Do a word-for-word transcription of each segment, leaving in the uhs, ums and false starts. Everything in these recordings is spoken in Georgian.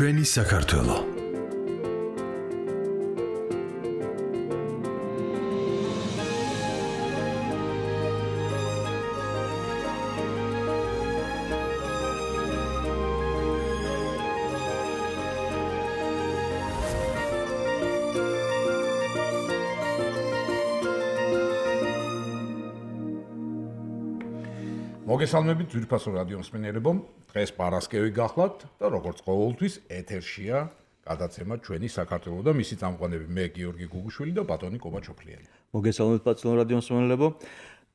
ჩვენი საქართველო. მოგესალმებით ძვირფასო რადიო მსმენელებო, დღეს პარასკევი გახლავთ და როგორც ყოველთვის ეთერშია გადაცემა ჩვენი საქართველო და მისი წამყვანები მე გიორგი გუგუშვილი და ბატონი კობაჩოფლიანი. მოგესალმებით პაცნო რადიო მსმენელებო.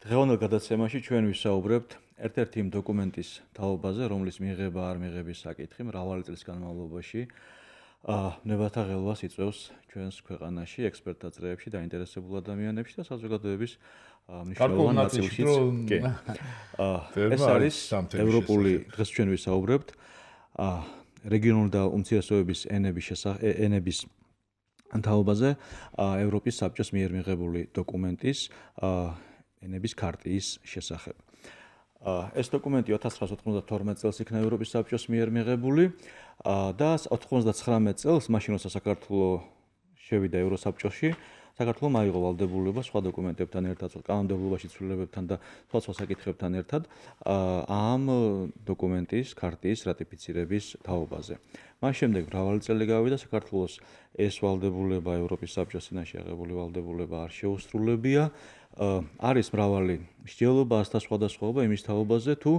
დღევანდელ გადაცემაში ჩვენ ვისაუბრებთ ერთ-ერთი იმ დოკუმენტის თაობაზე, რომლის მიღება არ მიღების საკითხი მრავალი წლის განმავლობაში ნებათა ღელვას იწვევს ჩვენს ქვეყანაში, ექსპერტთა წრეებში, დაინტერესებულ ადამიანებში და საზოგადოების მნიშვნელოვან ნაწილშიც. ეს არის ევროპული, დღეს ჩვენ ვისაუბრებთ რეგიონული და უმცირესობების ენების ენების თაობაზე, ევროპის საბჭოს მიერ მიღებული დოკუმენტის ენების ქარტიის შესახებ. ეს დოკუმენტი ოთხ ათას ოცდათორმეტ წელს იქნა ევროპის საბჭოს მიერ მიღებული და ოცდათვრამეტ წელს, მაშინ როცა საქართველო შევიდა ევროსაბჭოში, საქართველომ აიღო ვალდებულება სხვა დოკუმენტებთან ერთად, კანონმდებლობაში ცვლილებებთან და სხვა სხვა საკითხებთან ერთად ამ დოკუმენტის ქარტიის რატიფიცირების თაობაზე. მას შემდეგ მრავალი წელი გავიდა, საქართველოს ეს ვალდებულება ევროპის საბჭოს წინაშე აღებული ვალდებულება არ შეუსრულებია. არის მრავალი მსჯელობა და სხვადასხვაობა იმის თაობაზე, თუ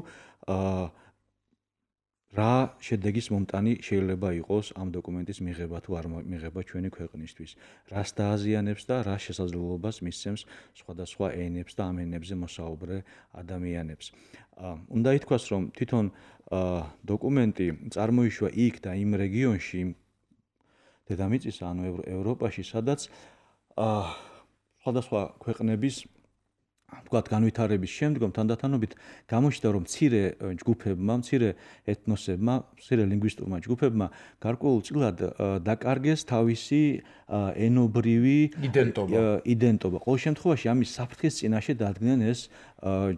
რა შედეგის მომტანი შეიძლება იყოს ამ დოკუმენტის მიღება თუ არ მიღება ჩვენი ქვეყნისთვის, რას დააზიანებს და რა შესაძლებლობას მისცემს სხვადასხვა ენებს და ამ ენებზე მოსაუბრე ადამიანებს. უნდა ითქვას, რომ თვითონ დოკუმენტი წარმოიშვა იქ და იმ რეგიონში, დედამიწის, ანუ ევროპაში, სადაც სხვადასხვა ქვეყნების თქვათ განვითარების შემდგომ თანდათანობით გამოჩნდა, რომ მცირე ჯგუფებმა, მცირე ეთნოსებმა, მცირე ლინგვისტურმა ჯგუფებმა გარკვეულწილად დაკარგეს თავისი ენობრივი იდენტობა. იდენტობა. ყოველ შემთხვევაში ამის საფრთხის წინაშე დადგნენ ეს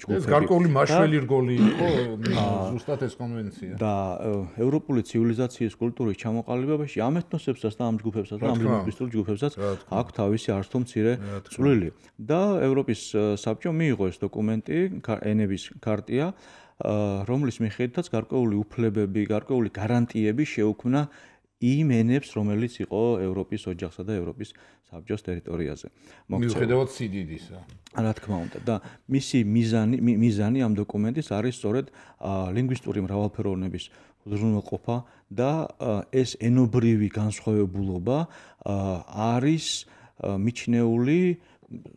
ჯგუფები. ეს გარკვეული მაშველი რგოლი იყო ზუსტად ეს კონვენცია. და ევროპული ცივილიზაციის კულტურის ჩამოყალიბებაში ამ ეთნოსებსაც და ამ ჯგუფებსაც და ამ ლინგვისტურ ჯგუფებსაც აქვს თავისი არც თუ მცირე წვლილი. და ევროპის საბჭომ მიიღო ეს დოკუმენტი, ენების ქარტია, რომლის მიხედვითაც გარკვეული უფლებები, გარკვეული გარანტიები შეუქმნა იმ ენებს, რომელიც იყო ევროპის ოჯახსა და ევროპის საბჭოს ტერიტორიაზე. მიუხედავად სიდიდისა. რა თქმა უნდა, და მისი მიზანი მიზანი ამ დოკუმენტის არის სწორედ ლინგვისტური მრავალფეროვნების უზრუნველყოფა და ეს ენობრივი განსხვავებულობა არის მიჩნეული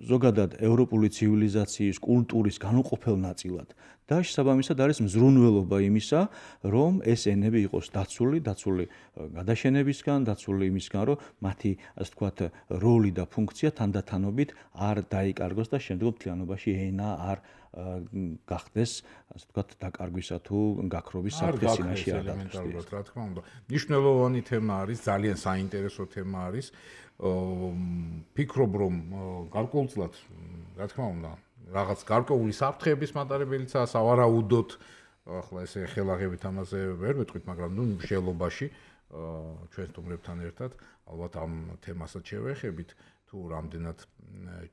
ზოგადად ევროპული ცივილიზაციის კულტურის განუყოფელ ნაწილად და შესაბამისად არის მზრუნველობა იმისა, რომ ეს ენები იყოს დაცული, დაცული გადაშენებისგან, დაცული იმისგან, რომ მათი, ასე ვთქვათ, როლი და ფუნქცია თანდათანობით არ დაიკარგოს და შემდგომ მთლიანობაში ენა არ გახდეს, ასე ვთქვათ, დაკარგვისა თუ გაქრობის საფრთხის წინაშე არ დადგეს. რა თქმა უნდა, მნიშვნელოვანი თემა არის, ძალიან საინტერესო თემა არის. ფიქრობ, რომ გარკვეულწილად, რა თქმა უნდა, რაღაც გარკვეული საფრთხეების მატარებელიცაა, სავარაუდოდ, ახლა ესე ხელაღებით ამაზე ვერ ვეთქვით, მაგრამ ნუ მსჯელობაში ჩვენ სტუმრებთან ერთად ალბათ ამ თემასაც შევეხებით, თუ რამდენად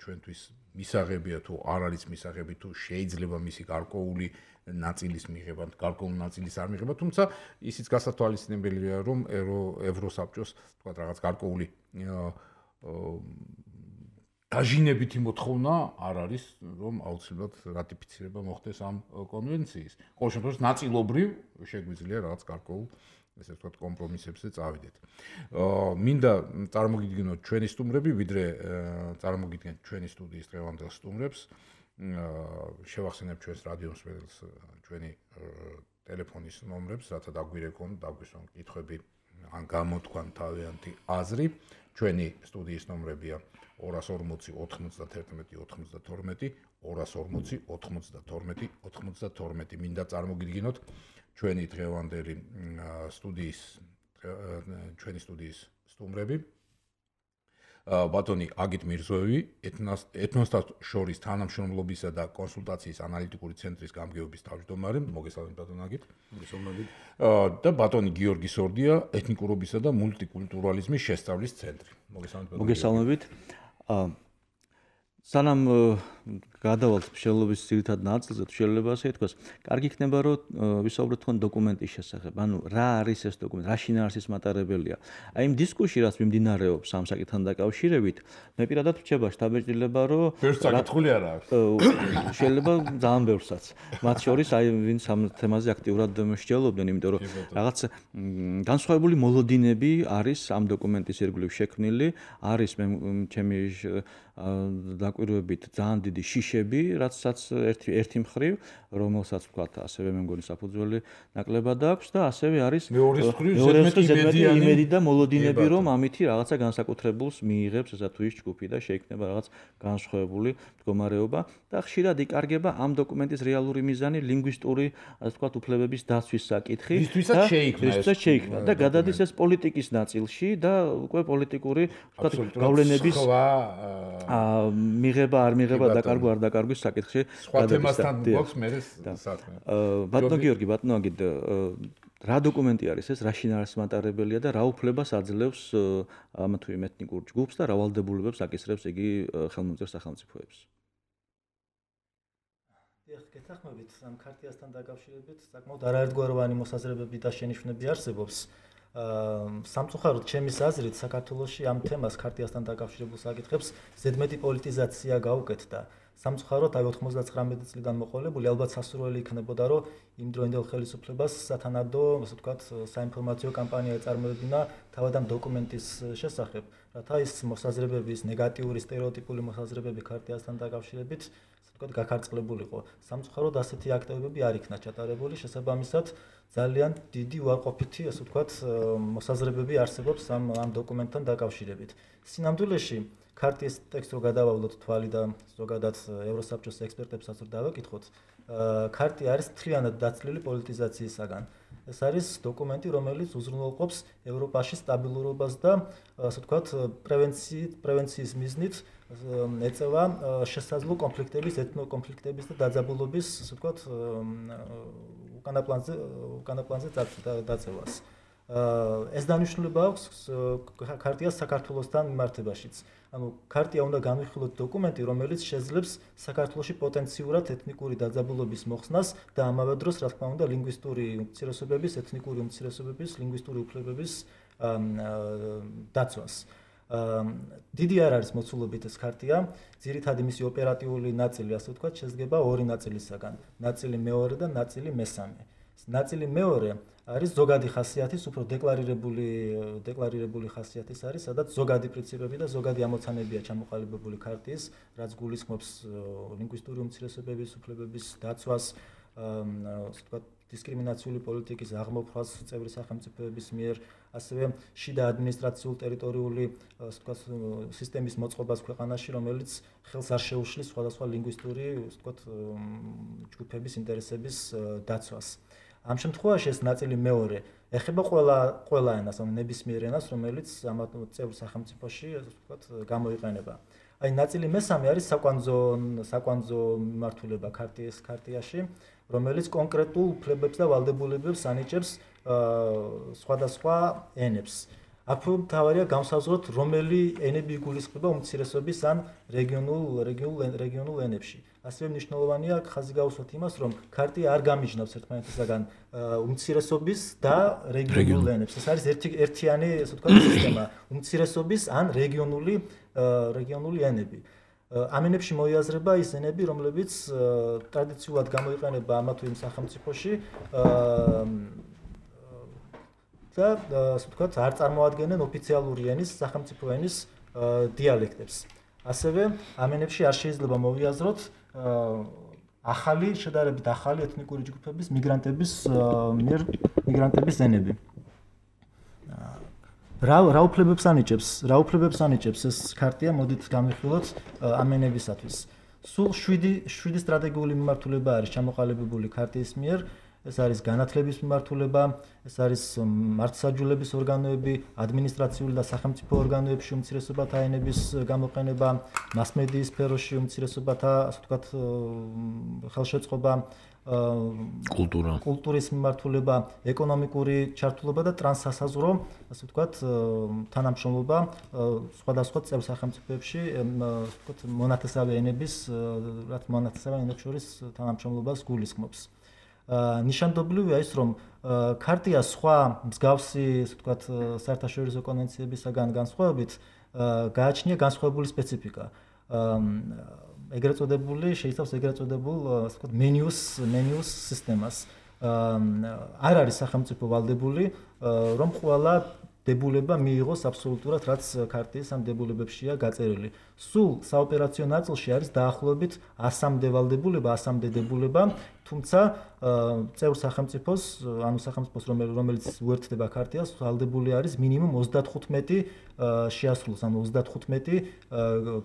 ჩვენთვის მისაღებია თუ არ არის მისაღები, თუ შეიძლება მისი გარკვეული ნაწილის მიღება, გარკვეული ნაწილის არ მიღება, თუმცა ისიც გასათვალისწინებელია, რომ ევროსაბჭოს თქვა რაღაც გარკვეული დაჟინებითი მოთხოვნა არ არის, რომ აუცილებლად რატიფიცირება მოხდეს ამ კონვენციის. ყოველ შემთხვევაში ნაწილობრივ შეგვიძლია რაღაც გარკვეულ, ესე ვთქვათ, კომპრომისებზე წავიდეთ. მინდა წარმოგიდგინოთ ჩვენი სტუმრები, ვიდრე წარმოგიდგენთ ჩვენი სტუდიის დღევანდელ სტუმრებს. შევახსენებ ჩვენს რადიო მსმენელს ჩვენი ტელეფონის ნომრებს, რათა დაგვირეკონ, დაგვისვან კითხვები ან გამოთქვან თავიანთი აზრი. ჩვენი სტუდიის ნომრებია ორას ორმოცი ოთხმოცდათერთმეტი ოთხმოცდათორმეტი, ორას ორმოცი ოთხმოცდათორმეტი ოთხმოცდათორმეტი. მინდა წარმოგიდგინოთ ჩვენი დღევანდელი სტუდიის ჩვენი სტუდიის სტუმრები. ბატონი აგით მირზოევი, ეთნოსთა შორის თანამშრომლობისა და კონსულტაციის ანალიტიკური ცენტრის გამგეობის თავმჯდომარე, მოგესალმებით ბატონ აგით. მოგესალმებით. და ბატონი გიორგი სორდია, ეთნიკურობისა და მულტიკულტურალიზმის შესწავლის ცენტრი. მოგესალმებით ბატონი. მოგესალმებით. სანამ გადავალთ მსჯელობის ძირითად ნაწილზე, შეიძლება ასე ითქვას, კარგი იქნება რომ ვისაუბროთ თქვენ დოკუმენტის შესახებ. ანუ რა არის ეს დოკუმენტი, რა შინაარსის მატარებელია. აი იმ დისკუსში რაც მიმდინარეობს ამ საკითხთან დაკავშირებით, მე პირადად ვrčeba შთაბეჭდილება რომ ბევრს საკითხული არა აქვს. შეიძლება ძალიან ბევრსაც. მათ შორის აი ვინც ამ თემაზე აქტიურად მსჯელობდნენ, იმიტომ რომ რაღაც განსხვავებული მოლოდინები არის ამ დოკუმენტის ირგვლივ შექმნილი, არის მე ჩემი დაკვირვებით ძალიან დიდი შიშები, რაცაც ერთი ერთი მხრივ, რომელსაც ვთქვათ, ასევე მე მგონი საფუძველი ნაკლებად აქვს და ასევე არის მეორე მხრივ ზედმეტი იმედი და მოლოდინები, რომ ამითი რაღაცა განსაკუთრებულს მიიღებს ესა თუ ის ჯგუფი და შეიქმნება რაღაც განსხვავებული მდგომარეობა და ხშირად იკარგება ამ დოკუმენტის რეალური მიზანი ლინგვისტური, ასე ვთქვათ, უფლებების დაცვის საკითხი და რისთვისაც შეიქმნა და გადადის ეს პოლიტიკის ნაწილში და უკვე პოლიტიკური, ვთქვათ, გავლენების აა მიღება არ მიღება დაკარგვა არ დაკარგვის საკითხში სხვა თემასთან გვაქვს მე საქმე. ბატონო გიორგი, ბატონო აგით რა დოკუმენტი არის ეს, რა შინაარსის მატარებელია და რა უფლებას აძლევს ამა თუ იმ ეთნიკურ ჯგუფს და რა ვალდებულებებს აკისრებს იგი ხელმომწერ სახელმწიფოებს? დიახ, გეთანხმებით, ამ ქარტიასთან დაკავშირებით საკმაოდ არაერთგვაროვანი მოსაზრებები და შენიშვნები არსებობს. სამწუხაროდ ჩემის აზრით საქართველოში ამ თემას ქარტიასთან დაკავშირებულ საკითხებს ზედმეტი პოლიტიზაცია გაუკეთდა. სამწუხაროდ აი ოცდათხმეტი წლიდან მოყოლებული ალბათ სასურველი იქნებოდა რომ იმდროინდელ ხელისუფლებას სათანადო, ასე ვთქვათ, საინფორმაციო კამპანია ეწარმოებინა თავად ამ დოკუმენტის შესახებ, რათა ის მოსაზრებების ნეგატიური სტერეოტიპული მოსაზრებები ქარტიასთან დაკავშირებით ვთქვათ, გაქარწყლებულიყო. სამწუხაროდ ასეთი აქტივობები არ იქნა ჩატარებული, შესაბამისად ძალიან დიდი უარყოფითი, ასე ვთქვათ, მოსაზრებები არსებობს ამ ამ დოკუმენტთან დაკავშირებით. სინამდვილეში ქარტიის ტექსტს რო გადავავლოთ თვალი და ზოგადად ევროსაბჭოს ექსპერტებსაც რო დავაკითხოთ, ქარტია არის მთლიანად დაცლილი პოლიტიზაციისაგან. ეს არის დოკუმენტი, რომელიც უზრუნველყოფს ევროპაში სტაბილურობას და ასე ვთქვათ, პრევენციით, პრევენციის მიზნით ეწევა შესაძლო კონფლიქტების, ეთნოკონფლიქტების და დაძაბულობის, ასე ვთქვათ, უკანა პლანზე, უკანა პლანზე დაწევას. ეს დანიშნულება აქვს ქარტიას საქართველოსთან მიმართებაშიც. ანუ ქარტია უნდა განვიხილოთ დოკუმენტი, რომელიც შეძლებს საქართველოში პოტენციურად ეთნიკური დაძაბულობის მოხსნას და ამავე დროს, რა თქმა უნდა, ლინგვისტური უმცირესობების, ეთნიკური უმცირესობების, ლინგვისტური უფლებების დაცვას. დიდი არ არის მოცულობით ეს ქარტია, ძირითადად მისი ოპერატიული ნაწილი, ასე ვთქვათ, შედგება ორი ნაწილისაგან, ნაწილი მეორე და ნაწილი მესამე. ნაწილი მეორე არის ზოგადი ხასიათის, უფრო დეკლარირებული დეკლარირებული ხასიათის არის, სადაც ზოგადი პრინციპები და ზოგადი ამოცანებია ჩამოყალიბებული ქარტიის, რაც გულისხმობს ლინგვისტური უმცირესობების უფლებების დაცვას, ასე ვთქვათ, დისკრიმინაციული პოლიტიკის აღმოფხვას წევრი სახელმწიფოების მიერ, ასევე შიდა ადმინისტრაციულ ტერიტორიული, ასე ვთქვათ, სისტემის მოწყობას ქვეყანაში, რომელიც ხელს არ შეუშლის სხვადასხვა ლინგვისტური, ასე ვთქვათ, ჯგუფების ინტერესების დაცვას. ამ შემთხვევაში ეს ნაწილი მეორე ეხება ყველა ყველა ენას, ანუ ნებისმიერ ენას, რომელიც ამ წევრ სახელმწიფოში, ასე ვთქვათ, გამოიყენება. აი ნაწილი მესამე არის საკვანძო საკვანძო მიმართულება ქარტიის ქარტიაში, რომელიც კონკრეტულ უფლებებს და ვალდებულებებს ანიჭებს სხვადასხვა ენებს. აქ მთავარია გამსაზღვროთ, რომელი ენები იგულისხმება უმცირესობის ან რეგიონულ რეგიონულ რეგიონულ ენებში. ასევე მნიშვნელოვანია ხაზი გავუსვათ იმას, რომ ქარტია არ გამიჯნავს ერთმანეთისაგან უმცირესობის და რეგიონულ ენებს. ეს არის ერთი ერთიანი, ასე ვთქვათ, სისტემა უმცირესობის ან რეგიონული რეგიონული ენები. ამ ენებში მოიაზრება ის ენები, რომლებიც ტრადიციულად გამოიყენება ამა თუ იმ სახელმწიფოში და ასე ვთქვათ, არ წარმოადგენენ ოფიციალური ენის, სახელმწიფო ენის დიალექტებს. ასევე ამ ენებში არ შეიძლება მოვიაზროთ ახალი, შედარებით ახალი ეთნიკური ჯგუფების, მიგრანტების მიერ მიგრანტების ენები. რა რა უფლებებს ანიჭებს? რა უფლებებს ანიჭებს ეს ქარტია? მოდით განვიხილოთ ამ ენებისათვის. სულ შვიდი შვიდი სტრატეგიული მიმართულება არის ჩამოყალიბებული ქარტიის მიერ. ეს არის განათლების მიმართულება, ეს არის მართლმსაჯულების ორგანოები, ადმინისტრაციული და სახელმწიფო ორგანოებში უმცირესობათა ენების გამოყენება, მასმედიის სფეროში უმცირესობათა, ასე ვთქვათ, ხელშეწყობა, კულტურა, კულტურის მიმართულება, ეკონომიკური ჩართულობა და ტრანსსასაზღვრო, ასე ვთქვათ, თანამშრომლობა სხვადასხვა წევრ სახელმწიფოებში, ასე ვთქვათ, მონათესავე ენების, რაც მონათესავე ენებს შორის თანამშრომლობას გულისხმობს. ნიშანდობლივია ის, რომ ქარტია სხვა მსგავსი, ასე ვთქვათ, საერთაშორისო კონვენციებისაგან განსხვავებით, გააჩნია განსხვავებული სპეციფიკა. ეგრეთ წოდებული, შეიცავს ეგრეთ წოდებულ, ასე ვთქვათ, მენიუს, მენიუს სისტემას. არ არის სახელმწიფო ვალდებული, რომ ყველა დებულება მიიღოს აბსოლუტურად, რაც ქარტიის ამ დებულებებშია გაწერილი. სულ საოპერაციო ნაწილში არის დაახლოებით ასამდე ვალდებულება, ასამდე დებულება, თუმცა წევრ სახელმწიფოს, ანუ სახელმწიფოს, რომელიც უერთდება ქარტიას, ვალდებული არის მინიმუმ ოცდათხუთმეტი შეასრულოს, ანუ ოცდათხუთმეტი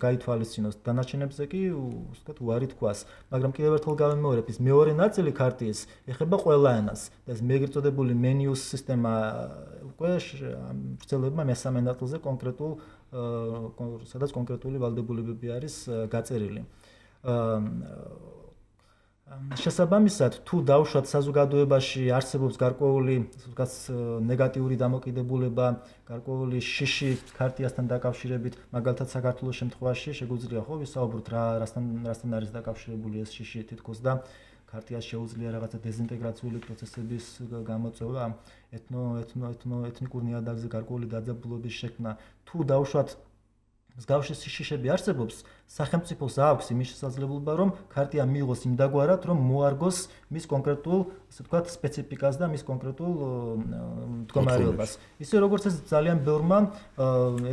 გაითვალისწინოს. დანარჩენებზე კი, ვთქვათ, უარი თქვას. მაგრამ კიდევ ერთხელ გავიმეორებ, ის მეორე ნაწილი ქარტიის ეხება ყველა ენას. და ეს ეგრეთ წოდებული მენიუს სისტემა უკვე ვრცელებმა მესამე ნაწილზე კონკრეტულ, სადაც კონკრეტული ვალდებულებები არის გაწერილი. შესაბამისად, თუ დავუშვათ საზოგადოებაში არსებობს გარკვეული, ვთქვათ, ნეგატიური დამოკიდებულება, გარკვეული შიში ქარტიასთან დაკავშირებით, მაგალითად საქართველოს შემთხვევაში შეგვიძლია ხო ვისაუბროთ რა რასთან რასთან არის დაკავშირებული ეს შიში თითქოს და ქარტიას შეუძლია რაღაცა დეზინტეგრაციული პროცესების გამოწვევა, ეთნო ეთნო ეთნო ეთნიკურ ნიადაგზე გარკვეული დაძაბულობის შექმნა. თუ დავუშვათ მსგავსი შიშები არსებობს, სახელმწიფოს აქვს იმის შესაძლებლობა, რომ ქარტია მიიღოს იმდაგვარად, რომ მოარგოს მის კონკრეტულ, ასე ვთქვათ, სპეციფიკას და მის კონკრეტულ მდგომარეობას. ისე როგორც ეს ძალიან ბევრმა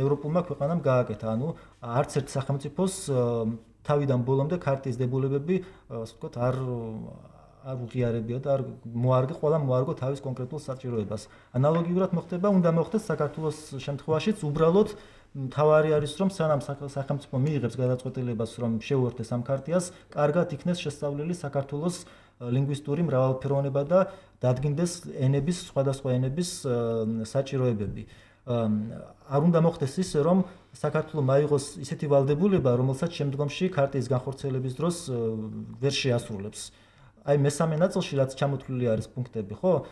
ევროპულმა ქვეყანამ გააკეთა, ანუ არც ერთ სახელმწიფოს თავიდან ბოლომდე ქარტიის დებულებები, ასე ვთქვათ, არ არ უღიარებია და არ მოარგე, ყველა მოარგო თავის კონკრეტულ საჭიროებას. ანალოგიურად მოხდება, უნდა მოხდეს საქართველოს შემთხვევაშიც, უბრალოდ თავარი არის, რომ სანამ სახელმწიფო მიიღებს გადაწყვეტილებას, რომ შეუერთდეს ამ ქარტიას, კარგად იქნეს შესწავლილი საქართველოს ლინგვისტური მრავალფეროვნება და დადგინდეს ენების, სხვადასხვა ენების საჭიროებები. არ უნდა მოხდეს ისე, რომ საქართველო მაიღოს ისეთი ვალდებულება, რომელსაც შემდგომში ქარტიის განხორციელების დროს ვერ შეასრულებს. აი მესამე ნაწილში რაც ჩამოთვლილი არის პუნქტები, ხო?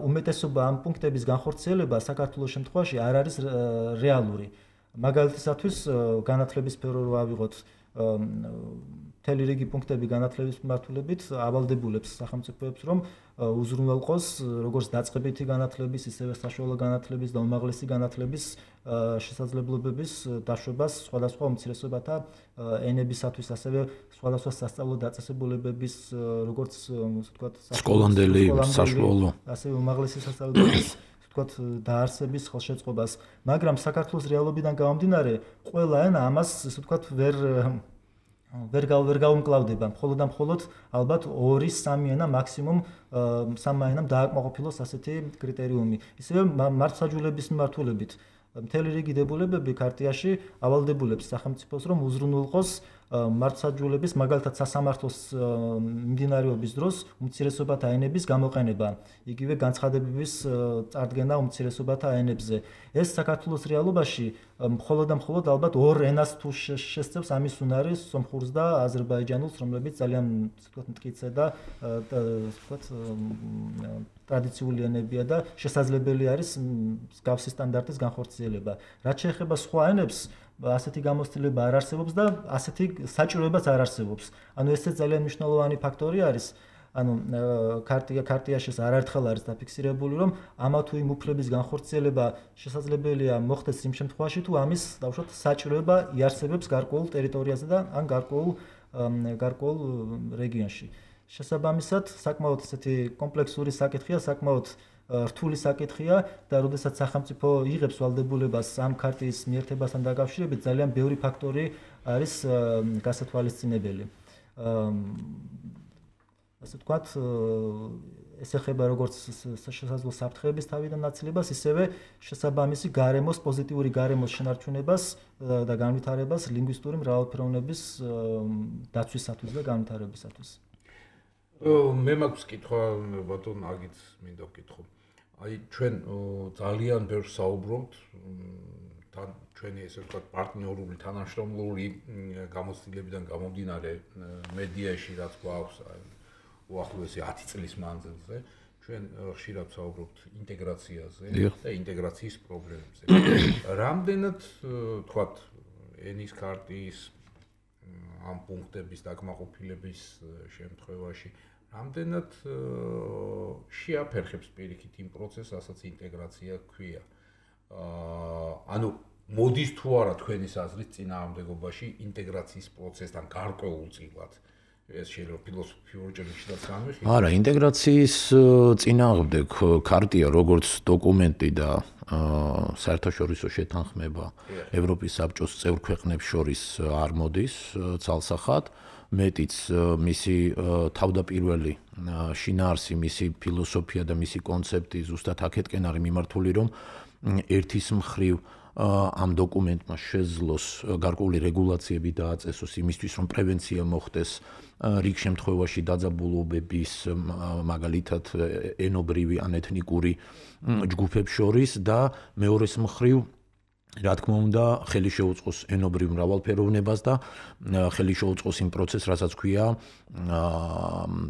უმეტესობა ამ პუნქტების განხორციელება საქართველოს შემთხვევაში არ არის რეალური. მაგალითისათვის განათლების სფერო რო ავიღოთ, მთელი რიგი პუნქტები განათლების მიმართულებით ავალდებულებს სახელმწიფოებს, რომ უზრუნველყოს როგორც დაწყებითი განათლების, ისევე საშუალო განათლების და უმაღლესი განათლების შესაძლებლობების დაშვებას სხვადასხვა უმცირესობათა ენებისათვის, ასევე სხვადასხვა სასწავლო დაწესებულებების, როგორც ასე ვთქვათ, სკოლამდელი, საშუალო, ასევე უმაღლესი სასწავლებლის ვთქვათ, დაარსების ხელშეწყობას, მაგრამ საქართველოს რეალობიდან გამომდინარე, ყველა ენა ამას, ასე ვთქვათ, ვერ ვერ ვერ გაუმკლავდება, მხოლოდ და მხოლოდ ალბათ ორი სამი ენა მაქსიმუმ სამმა ენამ დააკმაყოფილოს ასეთი კრიტერიუმი. ისევე მართლმსაჯულების მიმართულებით მთელი რიგი დებულებები ქარტიაში ავალდებულებს სახელმწიფოს, რომ უზრუნველყოს მართლმსაჯულების, მაგალითად სასამართლოს მიმდინარეობის დროს უმცირესობათა ენების გამოყენება, იგივე განცხადებების წარდგენა უმცირესობათა ენებზე. ეს საქართველოს რეალობაში მხოლოდ და მხოლოდ ალბათ ორ ენას თუ შესწევს, ამის უნარი სომხურს და აზერბაიჯანულს, რომლებიც ძალიან ვთქვათ, მტკიცე და ვთქვათ, ტრადიციული ენებია და შესაძლებელი არის მსგავსი სტანდარტის განხორციელება. რაც შეეხება სხვა ენებს, ასეთი გამოცდილება არ არსებობს და ასეთი საჭიროებაც არ არსებობს. ანუ ესეც ძალიან მნიშვნელოვანი ფაქტორი არის. ანუ ქარტია ქარტიაში არაერთხელ არის დაფიქსირებული, რომ ამა თუ იმ უფლების განხორციელება შესაძლებელია მოხდეს იმ შემთხვევაში, თუ ამის დავუშვათ საჭიროება იარსებებს გარკვეულ ტერიტორიაზე და ან გარკვეულ გარკვეულ რეგიონში. შესაბამისად, საკმაოდ ესეთი კომპლექსური საკითხია, საკმაოდ რთული საკითხია და როდესაც სახელმწიფო იღებს ვალდებულებას ამ ქარტიის მიერთებასთან დაკავშირებით, ძალიან ბევრი ფაქტორი არის გასათვალისწინებელი. ასე ვთქვათ, ეს ეხება როგორც შესაძლო საფრთხეების თავიდან ნაცილებას, ისევე შესაბამისი გარემოს, პოზიტიური გარემოს შენარჩუნებას და განვითარებას ლინგვისტური მრავალფეროვნების დაცვისათვის და განვითარებისათვის. მე მაქვს კითხვა ბატონ აგიც მინდა ვკითხო. აი ჩვენ ძალიან ბევრ საუბრობთ თან ჩვენი ესე ვთქვათ პარტნიორული თანამშრომლური გამოცდილებიდან გამომდინარე მედიაში რაც გვაქვს უახლოესი ათი წლის მანძილზე ჩვენ ხშირად ვსაუბრობთ ინტეგრაციაზე და ინტეგრაციის პრობლემებზე. რამდენად ვთქვათ ენის ქარტიის ამ პუნქტების დაკმაყოფილების შემთხვევაში რამდენად შეაფერხებს პირიქით იმ პროცესს, რასაც ინტეგრაცია ქვია. ანუ მოდის თუ არა თქვენის აზრით წინააღმდეგობაში ინტეგრაციის პროცესთან გარკვეულწილად ეს შეიძლება ფილოსოფიურ ჭრილშიც განვიხილოთ. არა, ინტეგრაციის წინააღმდეგ ქარტია როგორც დოკუმენტი და საერთაშორისო შეთანხმება ევროპის საბჭოს წევრ ქვეყნებს შორის არ მოდის ცალსახად. მეტიც მისი თავდაპირველი შინაარსი, მისი ფილოსოფია და მისი კონცეფტი ზუსტად აქეთკენ არის მიმართული, რომ ერთის მხრივ ამ დოკუმენტმა შეძლოს გარკვეული რეგულაციები დააწესოს იმისთვის, რომ პრევენცია მოხდეს რიგ შემთხვევაში დაძაბულობების, მაგალითად ენობრივი ან ეთნიკური ჯგუფებს შორის და მეორეს მხრივ რა თქმა უნდა, ხელი შეუწყოს ენობრივ მრავალფეროვნებას და ხელი შეუწყოს იმ პროცესს, რასაც ქვია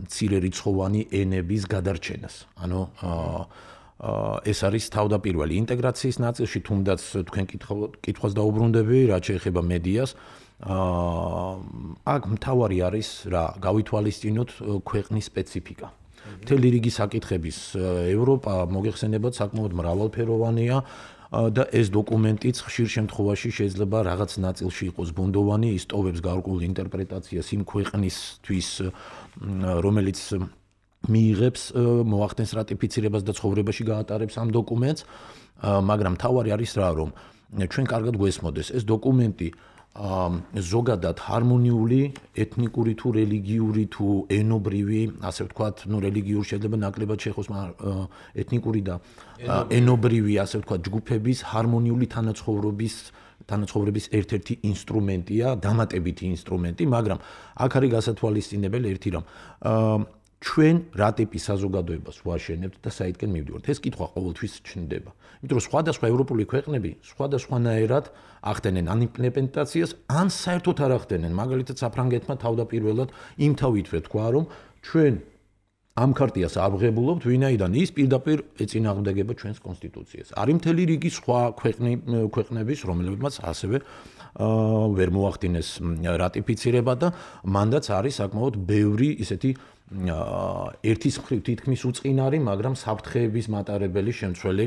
მცირერიცხოვანი ენების გადარჩენას. ანუ ეს არის თავდაპირველი ინტეგრაციის ნაწილში, თუნდაც თქვენ კითხვას დაუბრუნდები, რაც შეეხება მედიას. აქ მთავარი არის რა, გავითვალისწინოთ ქვეყნის სპეციფიკა. მთელი რიგი საკითხების ევროპა მოგეხსენებათ საკმაოდ მრავალფეროვანია. და ეს დოკუმენტიც ხშირ შემთხვევაში შეიძლება რაღაც ნაწილში იყოს ბუნდოვანი, ისტოვებს გარკვეულ ინტერპრეტაციას იმ ქვეყნისთვის, რომელიც მიიღებს, მოახდენს რატიფიცირებას და ცხოვრებაში გაატარებს ამ დოკუმენტს, მაგრამ თავარი არის რა, რომ ჩვენ კარგად გვესმოდეს ეს დოკუმენტი ზოგადად ჰარმონიული ეთნიკური თუ რელიგიური თუ ენობრივი, ასე ვთქვათ, ну რელიგიური შეიძლება ნაკლებად შეხოს, მაგრამ ეთნიკური და ენობრივი, ასე ვთქვათ, ჯგუფების ჰარმონიული თანაცხოვრების თანაცხოვრების ერთ-ერთი ინსტრუმენტია, დამატებითი ინსტრუმენტი, მაგრამ აქ არის გასათვალისწინებელი ერთი რამ. ჩვენ რა ტიპის საზოგადოებას ვაშენებთ და საითკენ მივდივართ. ეს კითხვა ყოველთვის ჩნდება. იმიტომ რომ სხვადასხვა ევროპული ქვეყნები სხვადასხვანაირად ახდენენ ან იმპლემენტაციას, ან საერთოდ არ ახდენენ. მაგალითად, საფრანგეთმა თავდაპირველად იმთავით ვეთქვა, რომ ჩვენ ამ ქარტიას აღებულობთ, ვინაიდან ის პირდაპირ ეწინააღმდეგება ჩვენს კონსტიტუციას. არის მთელი რიგი სხვა ქვეყნების, რომლებიც ასევე ვერ მოახდინეს რატიფიცირება და მანდაც არის საკმაოდ ბევრი ისეთი ერთის მხრივ თითქმის უწყინარი, მაგრამ საფრთხეების მატარებელი შემცველი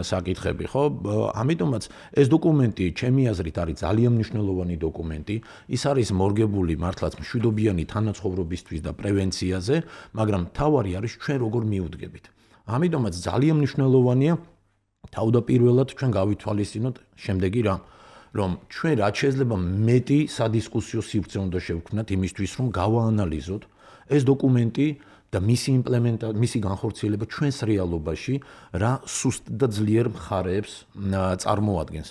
საკითხები, ხო? ამიტომაც ეს დოკუმენტი, ჩემი აზრით, არის ძალიან მნიშვნელოვანი დოკუმენტი. ის არის მორგებული მართლაც მშვიდობიანი თანაცხოვრებისთვის და პრევენციაზე, მაგრამ თავარი არის ჩვენ როგორ მიუდგებით. ამიტომაც ძალიან მნიშვნელოვანია თავდაპირველად ჩვენ გავითვალისწინოთ შემდეგი რამ, რომ ჩვენ რაც შეიძლება მეტი სადისკუსიო სივრცე უნდა შევქმნათ იმისთვის, რომ გავაანალიზოთ ეს დოკუმენტი და მისი იმპლემენტაცია, მისი განხორციელება ჩვენს რეალობაში რა სუსტ და ძლიერ მხარეებს წარმოადგენს.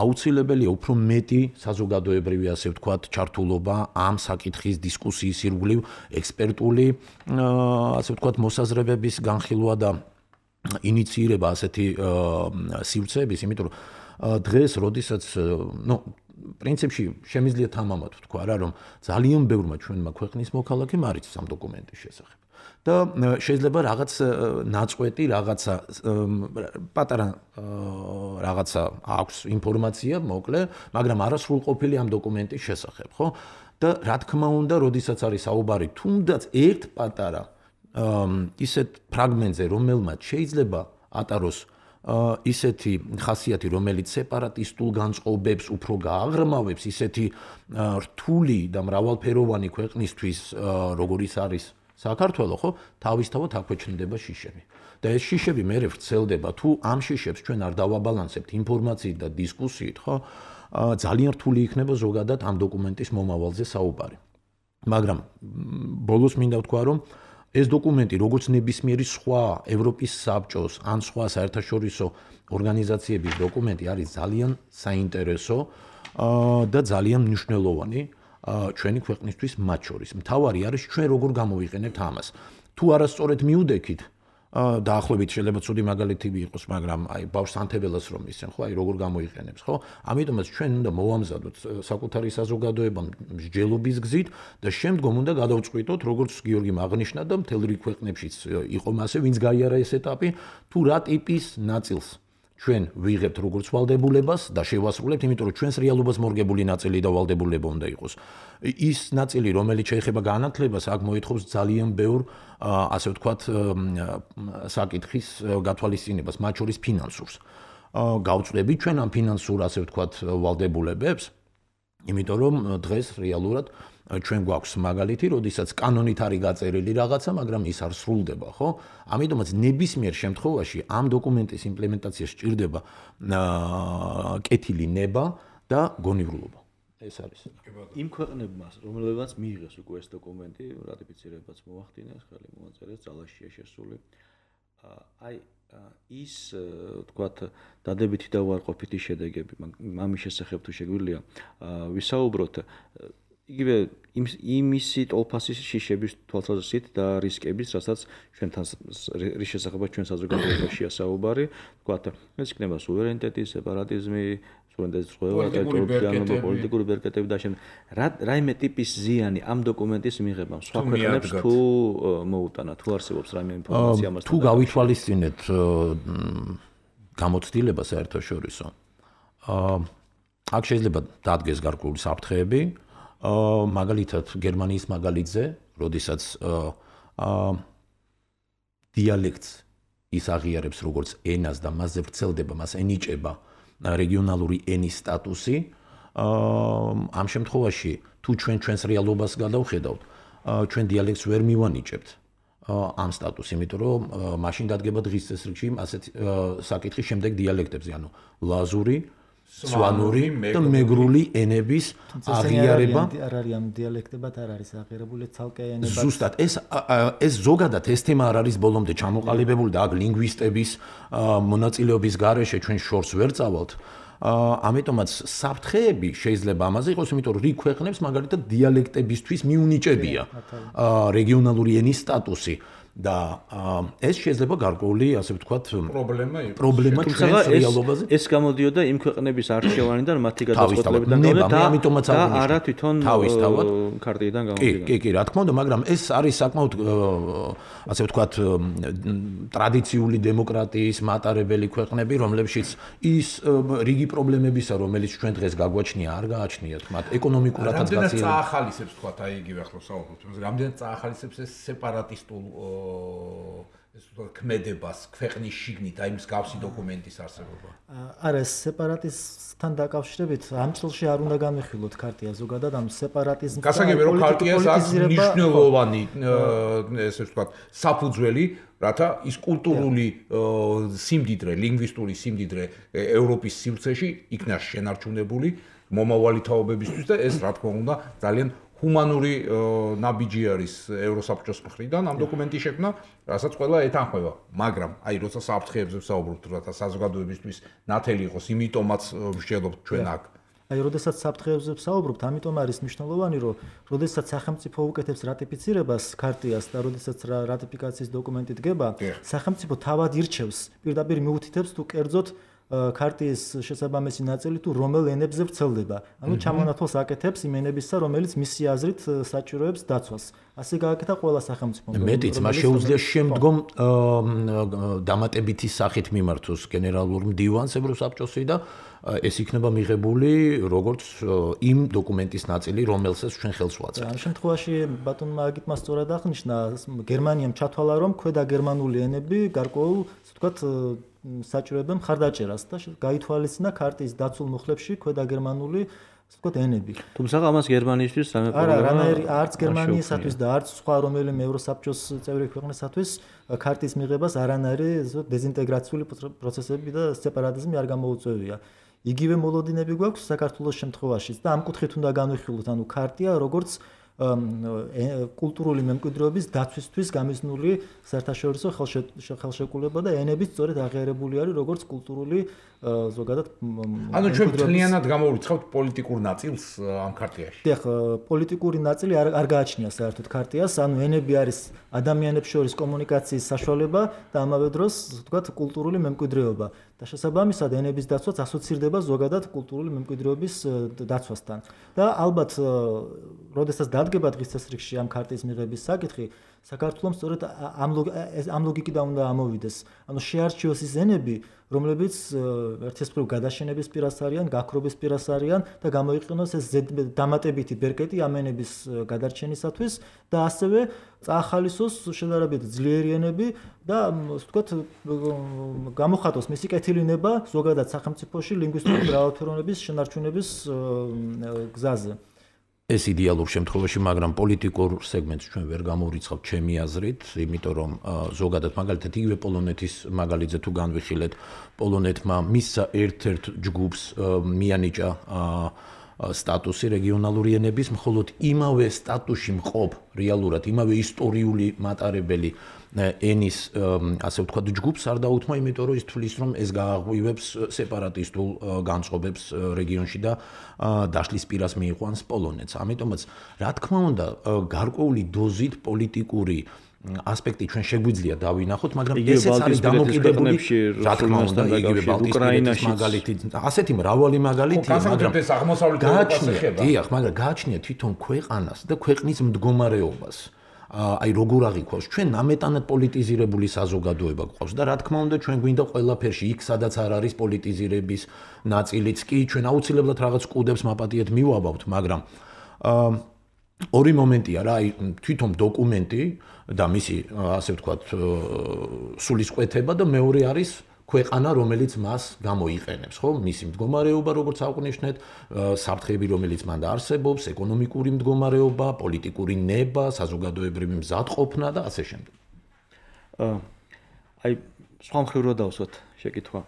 აუცილებელია უფრო მეტი საზოგადოებრივი, ასე ვთქვათ, ჩართულობა ამ საკითხის დისკუსიის ირგვლივ, ექსპერტული, ასე ვთქვათ, მოსაზრებების განხილვა და ინიციირება ასეთი სივრცეების, იმიტომ რომ დღეს, როდესაც, ну, პრინციპში შემიძლია თამამად ვთქვა რა, რომ ძალიან ბევრმა ჩვენმა ქვეყნის მოქალაქემ არის ამ დოკუმენტის შესახებ. და შეიძლება რაღაც ნაწყვეტი, რაღაცა პატარა რაღაცა აქვს ინფორმაცია, მოკლე, მაგრამ არასრულყოფილი ამ დოკუმენტის შესახებ, ხო? და რა თქმა უნდა, როდესაც არის საუბარი თუნდაც ერთ პატარა ისეთ ფრაგმენტზე, რომელმაც შეიძლება ატაროს ისეთი ხასიათი, რომელიც სეპარატისტულ განწყობებს უფრო გააღრმავებს, ისეთი რთული და მრავალფეროვანი ქვეყნისთვის, როგორიც არის საქართველო, ხო, თავისთავად აქვე ჩნდება შიშები. და ეს შიშები მერე ვრცელდება, თუ ამ შიშებს ჩვენ არ დავაბალანსებთ ინფორმაციით და დისკუსიით, ხო, ძალიან რთული იქნება ზოგადად ამ დოკუმენტის მომავალზე საუბარი. მაგრამ ბოლოს მინდა ვთქვა, რომ ეს დოკუმენტი, როგორც ნებისმიერი სხვა ევროპის საბჭოს ან სხვა საერთაშორისო ორგანიზაციების დოკუმენტი, არის ძალიან საინტერესო და ძალიან მნიშვნელოვანი. ჩვენი ქვეყნისთვის მათ შორის. მთავარი არის ჩვენ როგორ გამოვიყენებთ ამას. თუ არასწორად მიუდექით დაახლოებით შეიძლება ცუდი მაგალითი იყოს, მაგრამ აი ბავშვს ანთებელას რომ ისენ ხო, აი როგორ გამოიყენებს, ხო? ამიტომაც ჩვენ უნდა მოვამზადოთ საკუთარი საზოგადოება მსჯელობის გზით და შემდგომ უნდა გადავწყვიტოთ, როგორც გიორგიმ აღნიშნა და მთელ რიგ ქვეყნებშიც იყო მასე, ვინც გაიარა ეს ეტაპი, თუ რა ტიპის ნაწილს ჩვენ ვიღებთ როგორც ვალდებულებას და შევასრულებთ, იმიტომ რომ ჩვენს რეალობას მორგებული ნაწილი და ვალდებულება უნდა იყოს. ის ნაწილი, რომელიც შეეხება განათლებას, აქ მოითხოვს ძალიან ბევრ, ასე ვთქვათ, საკითხის გათვალისწინებას, მათ შორის ფინანსურს. გავწვდებით ჩვენ ამ ფინანსურ, ასე ვთქვათ, ვალდებულებებს, იმიტომ რომ დღეს რეალურად ჩვენ გვაქვს მაგალითი, როდესაც კანონით არის გაწერილი რაღაცა, მაგრამ ის არ სრულდება, ხო? ამიტომაც ნებისმიერ შემთხვევაში ამ დოკუმენტის იმპლემენტაციაში სჭირდება კეთილი ნება და გონივრულობა. ეს არის. იმ ქვეყნებმა, რომლებმაც მიიღეს უკვე ეს დოკუმენტი, რატიფიცირებაც მოახდინეს, ხელი მოაწერეს, ძალაშია შესული. აი ის, ვთქვათ, დადებითი და უარყოფითი შედეგები, ამის შესახებ თუ შეგვიძლია ვისაუბროთ, იგივე იმისი ტოლფასის შიშების თვალსაზრისით და რისკების, რასაც ჩვენთან რის შესახებაც ჩვენ საზოგადოებაშია საუბარი, ვთქვათ, ეს იქნება სუვერენიტეტი, სეპარატიზმი, სუვერენიტეტის ზღვევა, ტერიტორიული პოლიტიკური ბერკეტები და შემდეგ. რა რაიმე ტიპის ზიანი ამ დოკუმენტის მიღებამ სხვა ქვეყნებს თუ მოუტანა, თუ არსებობს რაიმე ინფორმაცია ამასთან? თუ გავითვალისწინეთ გამოცდილება საერთაშორისო, აქ შეიძლება დადგეს გარკვეული საფრთხეები. მაგალითად გერმანიის მაგალითზე, როდესაც დიალექტს ის აღიარებს როგორც ენას და მასზე ვრცელდება, მას ენიჭება რეგიონალური ენის სტატუსი, ამ შემთხვევაში თუ ჩვენ ჩვენს რეალობას გადავხედავთ, ჩვენ დიალექტს ვერ მივანიჭებთ ამ სტატუსს, იმიტომ რომ მაშინ დადგება დღის წესრიგში ასეთ საკითხის შემდეგ დიალექტებზე, ანუ ლაზური, სვანური და მეგრული ენების აღიარება. არ არის ამ დიალექტებად არ არის აღიარებული ცალკე ენებად. ზუსტად ეს ეს ზოგადად ეს თემა არ არის ბოლომდე ჩამოყალიბებული და აქ ლინგვისტების მონაწილეობის გარეშე ჩვენ შორს ვერ წავალთ. ამიტომაც საფრთხეები შეიძლება ამაზე იყოს, იმიტომ რომ რიგ ქვეყნებს მაგალითად დიალექტებისთვის მიუნიჭებია რეგიონალური ენის სტატუსი. და ეს შეიძლება გარკვეული, ასე ვთქვათ, პრობლემა იყოს. პრობლემა ჩვენს რეალობაზე. ეს გამოდიოდა იმ ქვეყნების არჩევანიდან, მათი გადაწყვეტილებიდან და არა თვითონ ქარტიიდან გამოდიოდა. კი, კი, რა თქმა უნდა, მაგრამ ეს არის საკმაოდ, ასე ვთქვათ, ტრადიციული დემოკრატიის მატარებელი ქვეყნები, რომლებშიც ის რიგი პრობლემებისა, რომელიც ჩვენ დღეს გაგვაჩნია, არ გააჩნიათ მათ ეკონომიკურადაც გაცილებით. რამდენად წაახალისებს, ვთქვათ, აი იგივე ახლა საუბრობთ, რამდენად წაახალისებს ეს სეპარატისტულ ეს ქმედებას ქვეყნის შიგნით აი მსგავსი დოკუმენტის არსებობა. არა, ეს სეპარატიზმთან დაკავშირებით ამ წელში არ უნდა განვიხილოთ ქარტია ზოგადად ამ სეპარატიზმს. გასაგებია რომ ქარტიას აქვს მნიშვნელოვანი ესე ვთქვათ საფუძველი, რათა ის კულტურული სიმდიდრე, ლინგვისტური სიმდიდრე ევროპის სივრცეში იქნა შენარჩუნებული მომავალი თაობებისთვის და ეს რა თქმა უნდა ძალიან ჰუმანური ნაბიჯი არის ევროსაბჭოს მხრიდან ამ დოკუმენტის შექმნა, რასაც ყველა ეთანხმება, მაგრამ აი როცა საფრთხეებზე ვსაუბრობთ, რათა საზოგადოებისთვის ნათელი იყოს, იმიტომაც ვშელობთ ჩვენ აქ. აი, როდესაც საფრთხეებზე ვსაუბრობთ, ამიტომ არის მნიშვნელოვანი, რომ როდესაც სახელმწიფო უკეთებს რატიფიცირებას ქარტიას და როდესაც რატიფიკაციის დოკუმენტი დგება, სახელმწიფო თავად ირჩევს, პირდაპირ მიუთითებს თუ კერძოდ ქარტიის შესაბამისი ნაწილი თუ რომელ ენებზე ვრცელდება. ანუ ჩამონათვალს აკეთებს იმ ენებისა, რომელიც მისი აზრით საჭიროებს დაცვას. ასე გააკეთა ყველა სახელმწიფომ. მეტიც, მას შეუძლია შემდგომ დამატებითი სახით მიმართოს გენერალურ მდივანს ევროსაბჭოსი და ეს იქნება მიღებული როგორც იმ დოკუმენტის ნაწილი, რომელსაც ჩვენ ხელს ვაწევთ. ამ შემთხვევაში ბატონმა აგიტმა სწორად აღნიშნა, გერმანიამ ჩათვალა, რომ ქვედა გერმანული ენები გარკვეულ, ასე ვთქვათ, საჭიროებენ მხარდაჭერას და გაითვალისწინა ქარტიის დაცულ მუხლებში ქვედა გერმანული, ასე ვთქვათ, ენები. თუმცა ამას გერმანიისთვის სამე არა, რანაირი არც გერმანიისათვის და არც სხვა რომელიმე ევროსაბჭოს წევრი ქვეყნისათვის ქარტიის მიღებას არანაირი დეზინტეგრაციული პროცესები და სეპარატიზმი არ გამოუწვევია. იგივე მოლოდინები გვაქვს საქართველოს შემთხვევაშიც და ამ კუთხით უნდა განვიხილოთ, ანუ ქარტია როგორც კულტურული მემკვიდრეობის დაცვისთვის გამიზნული საერთაშორისო ხელშეკრულება და ენების სწორედ აღიარებული არის როგორც კულტურული ზოგადად ანუ ჩვენ მთლიანად გამოვირცხავთ პოლიტიკურ ნაწილს ამ ქარტიაში. დიახ, პოლიტიკური ნაწილი არ არ გააჩნია საერთოდ ქარტიას, ანუ ენები არის ადამიანებს შორის კომუნიკაციის საშუალება და ამავე დროს, ვთქვათ, კულტურული მემკვიდრეობა. და შესაბამისად ენების დაცვაც ასოცირდება ზოგადად კულტურული მემკვიდრეობის დაცვასთან. და ალბათ, როდესაც დადგება დღის წესრიგში ამ ქარტიის მიღების საკითხი, საქართველოს სწორედ ამ ლოგიკიდან უნდა ამოვიდეს. ანუ შეარჩიოს ის ენები, რომლებიც ერთისფრულ გადაშენების პირას არიან, გაქრობის პირას არიან და გამოიყენოს ეს დამატებითი ბერკეტი ამ ენების გადარჩენისათვის და ასევე წაახალისოს შედარებით ძლიერი ენები და ვთქვათ გამოხატოს მისი კეთილინება ზოგადად სახელმწიფოში ლინგვისტური მრავალფეროვნების შენარჩუნების გზაზე. ეს იდეალურ შემთხვევაში, მაგრამ პოლიტიკურ სეგმენტს ჩვენ ვერ გამოვირიცხავთ ჩემი აზრით, იმიტომ რომ ზოგადად მაგალითად იგივე პოლონეთის მაგალითზე თუ განვიხილეთ, პოლონეთმა მისცა ერთ-ერთ ჯგუფს მიანიჭა სტატუსი რეგიონალური ენების, მხოლოდ იმავე სტატუსში მყოფ რეალურად იმავე ისტორიული მატარებელი ენის ასე ვთქვათ ჯგუფს არ დაუთმო, იმიტომ რომ ის თვლის რომ ეს გააღვივებს სეპარატისტულ განწყობებს რეგიონში და დაშლის პირას მიიყვანს პოლონეთს. ამიტომაც, რა თქმა უნდა, გარკვეული დოზით პოლიტიკური ასპექტი ჩვენ შეგვიძლია დავინახოთ, მაგრამ ესეც არის დამოკიდებული რა თქმა უნდა იგივე ბალტიის მაგალითი, ასეთი მრავალი მაგალითია, მაგრამ გააჩნია, დიახ, მაგრამ გააჩნია თვითონ ქვეყანას და ქვეყნის მდგომარეობას. აი როგორ აღიქვავს ჩვენ ნამეტანად პოლიტიზირებული საზოგადოება გვყავს და რა თქმა უნდა ჩვენ გვინდა ყველაფერში იქ სადაც არ არის პოლიტიზირების ნაწილიც კი ჩვენ აუცილებლად რაღაც კუდებს მაპატიეთ მივაბავთ, მაგრამ ორი მომენტია რა, აი თვითონ დოკუმენტი და მისი ასე ვთქვათ სულისკვეთება და მეორე არის ქვეყანა, რომელიც მას გამოიყენებს, ხო? მისი მდგომარეობა, როგორც აღნიშნეთ, საფრთხეები, რომელიც მან არსებობს, ეკონომიკური მდგომარეობა, პოლიტიკური ნება, საზოგადოებრივი მზადყოფნა და ასე შემდეგ. აი, სხვა მხრივ რა დავსვათ შეკითხვა.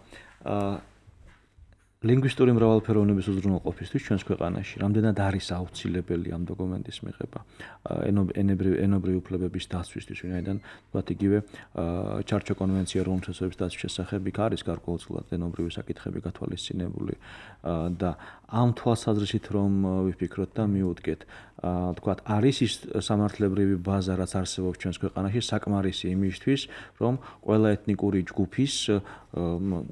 ლინგვისტური მრავალფეროვნების უზრუნველყოფისთვის ჩვენს ქვეყანაში რამდენად არის აუცილებელი ამ დოკუმენტის მიღება ენობრივი ენობრივი უფლებების დაცვისთვის, ვინაიდან თქვათ იგივე ჩარჩო კონვენცია რომის თვისების დაცვის შესახებ იქ არის გარკვეულწილად ენობრივი საკითხები გათვალისწინებული და ამ თვალსაზრისით რომ ვიფიქროთ და მივუდგეთ, თქვათ არის ის სამართლებრივი ბაზა, რაც არსებობს ჩვენს ქვეყანაში საკმარისი იმისთვის, რომ ყველა ეთნიკური ჯგუფის